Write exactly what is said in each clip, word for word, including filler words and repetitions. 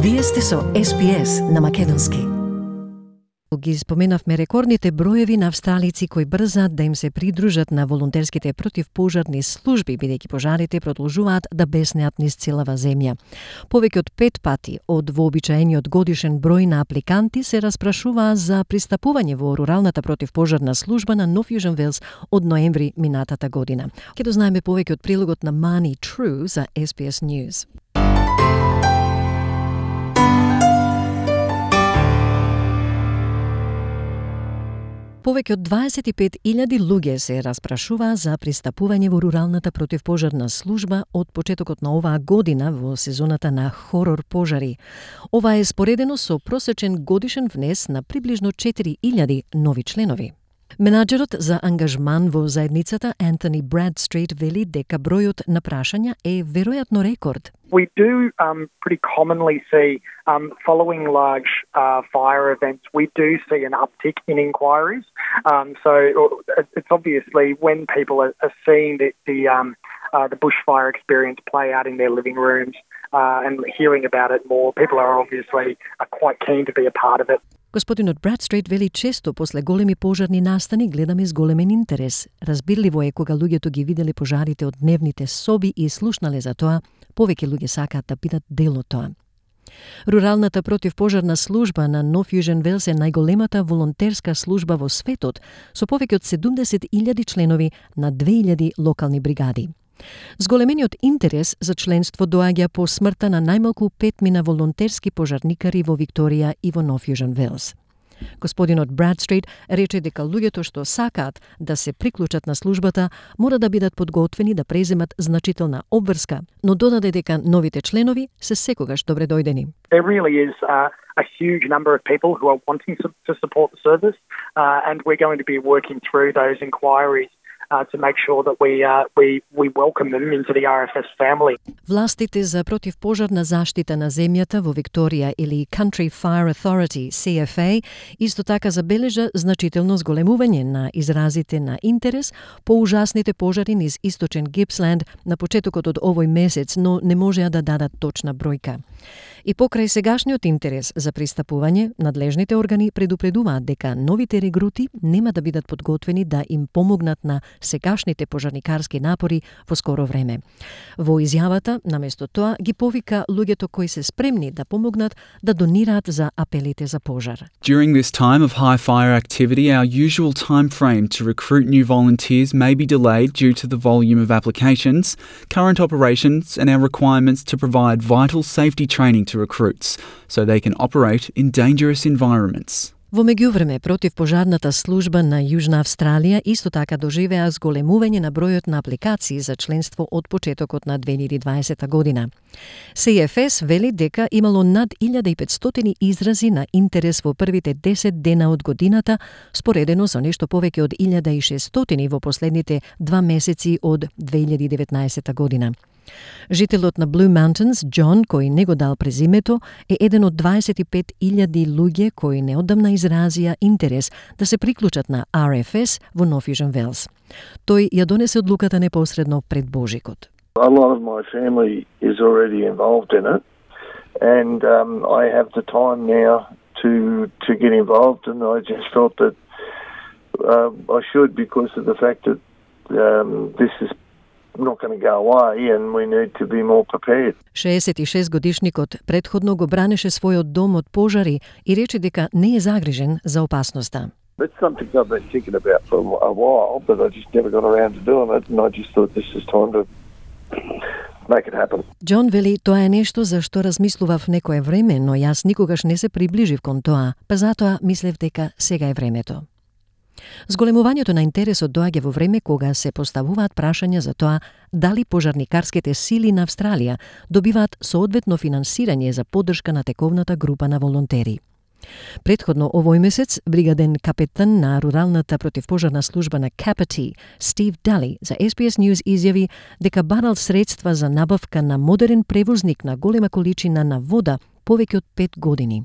Вие сте со Ес Би Ес на македонски. Ги споменавме рекордните броеви на австралици кои брзаат да им се придружат на волонтерските противпожарни служби, бидејќи пожарите продолжуваат да беснеат низ целава земја. Повеќе од пет пати од вообичаениот годишен број на апликанти се распрашуваа за пристапување во руралната противпожарна служба на Нов Јужен Велс од ноември минатата година. Ке дознаеме повеќе од прилогот на Мани Тру за Ес Би Ес News. Повеќе од дваесет и пет илјади луѓе се распрашуваа за пристапување во руралната противпожарна служба од почетокот на оваа година во сезоната на хорор пожари. Ова е споредено со просечен годишен внес на приближно четири илјади нови членови. Менаџерот за ангажман во заедницата Антони Брадстрит вели дека бројот на прашања е веројатно рекорд. We do um, pretty commonly see, um, following large uh, fire events, we do see an uptick in inquiries. Um, so it's obviously when people are, are seeing the the, um, uh, the bushfire experience play out in their living rooms uh, and hearing about it more, people are obviously uh, quite keen to be a part of it. Господинот Брадстрит вели често после големи пожарни настани гледаме с големен интерес. Разбирливо е кога луѓето ги виделе пожарите од дневните соби и слушнале за тоа, повеќе луѓе сакаат да бидат дел од тоа. Руралната противпожарна служба на Нов Јужен Велс е најголемата волонтерска служба во светот, со повеќе од седумдесет илјади членови на две илјади локални бригади. Зголемениот интерес за членство доаѓа по смртта на најмалку петмина волонтерски пожарникари во Викторија и во Нов Јужен Велс. Господинот Брадстрит рече дека луѓето што сакаат да се приклучат на службата мора да бидат подготвени да преземат значителна обврска, но додаде дека новите членови се секогаш добре дојдени. There really is uh, a huge number of people who are wanting to support the service uh, and we're going to be working through those inquiries Uh, to make sure that we uh, we we welcome them into the R F S family. Властите за противпожарна заштита на земјата во Викторија или Country Fire Authority C F A исто така забележа значително зголемување на изразите на интерес по ужасните пожари низ источен Гипсленд на почетокот од овој месец, но не можеа да дадат точна бројка. И покрај сегашниот интерес за пристапување, надлежните органи предупредуваат дека новите регрути нема да бидат подготвени да им помогнат на сегашните пожарникарски напори во скоро време. Во изјавата, наместо тоа, ги повика луѓето кои се спремни да помогнат да донираат за апелите за пожар. During this time of high fire activity, our usual time frame to recruit new volunteers may be delayed due to the volume of applications, current operations, and our requirements to provide vital safety training to recruits so they can operate in dangerous environments. Во меѓувреме, противпожарната служба на Јужна Австралија исто така доживеа зголемување на бројот на апликации за членство од почетокот на две илјади и дваесета година. С Ф С вели дека имало над илјада и петстотини изрази на интерес во првите десет дена од годината, споредено со нешто повеќе од илјада и шестстотини во последните два месеци од две илјади и деветнаесета година. Жителот на Blue Mountains, Џон, кој не го дал презимето, е еден од дваесет и пет илјади луѓе кои неодамна изразија интерес да се приклучат на R F S во Нов Јужен Велс. Тој ја донесе одлуката непосредно пред Божикот. A lot of my family is already involved in it and um, I have the time now to to get involved and I just felt that uh, I should because of the fact that um, this is not going to go away and we need to be more prepared. шеесет и шест годишникот предходно го бранеше својот дом од пожари и рече дека не е загрижен за опасноста. It's something I've been thinking about for a while, but I just never got around to doing it and I just thought this is time to make it happen. Џон вели тоа е нешто за што размислував некое време, но јас никогаш не се приближив кон тоа, па затоа мислев дека сега е времето. Зголемувањето на интересот доаѓа во време кога се поставуваат прашања за тоа дали пожарникарските сили на Австралија добиваат соодветно финансирање за поддршка на тековната група на волонтери. Предходно овој месец, бригаден капетан на руралната противпожарна служба на Kapiti, Стив Дали, за Ес Би Ес News изјави дека барал средства за набавка на модерен превозник на голема количина на вода повеќе од пет години.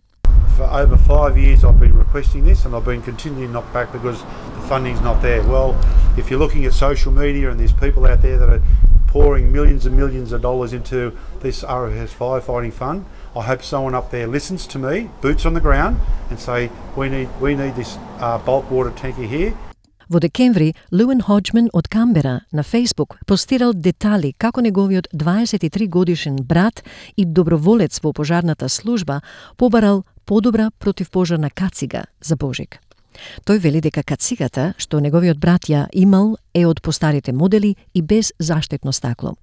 For over five years I've been requesting this and I've been continuing to knock back because the funding's not there. Well, if you're looking at social media and there's people out there that are pouring millions and millions of dollars into this R F S firefighting fund, I hope someone up there listens to me, boots on the ground, and say, we need we need this uh, bulk water tanker here. Во декември, Луен Ходжман од Камбера на Facebook постирал детали како неговиот дваесет и три годишен брат и доброволец во пожарната служба побарал подобра противпожарна кацига за Божик. Тој вели дека кацигата, што неговиот брат ја имал, е од постарите модели и без заштитно стакло.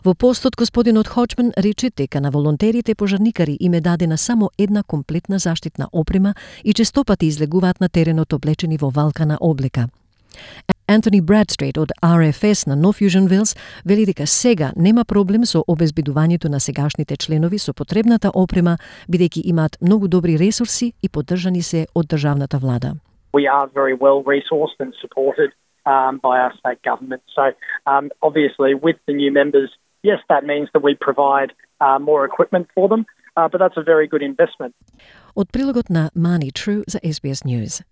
Во постот, господинот Ходжман рече дека на волонтерите пожарникари им е дадена само една комплетна заштитна опрема и честопати излегуваат на теренот облечени во валкана облека. Антони Брадстрейт од Ар Еф Ес на Нов Южен Велс вели дека сега нема проблем со обезбедувањето на сегашните членови со потребната опрема, бидејќи имаат многу добри ресурси и поддржани се од државната влада. We are very well resourced and supported um, by our state government. So um, obviously with the new members, yes, that means that we provide uh, more equipment for them, uh, but that's a very good investment. Од прилогот на Мани Тру за Ес Би Ес News.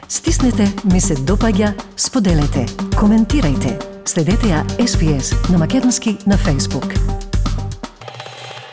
Стиснете, ми се допаѓа, споделете, коментирајте. Следете ја Ес Би Ес на македонски на Facebook.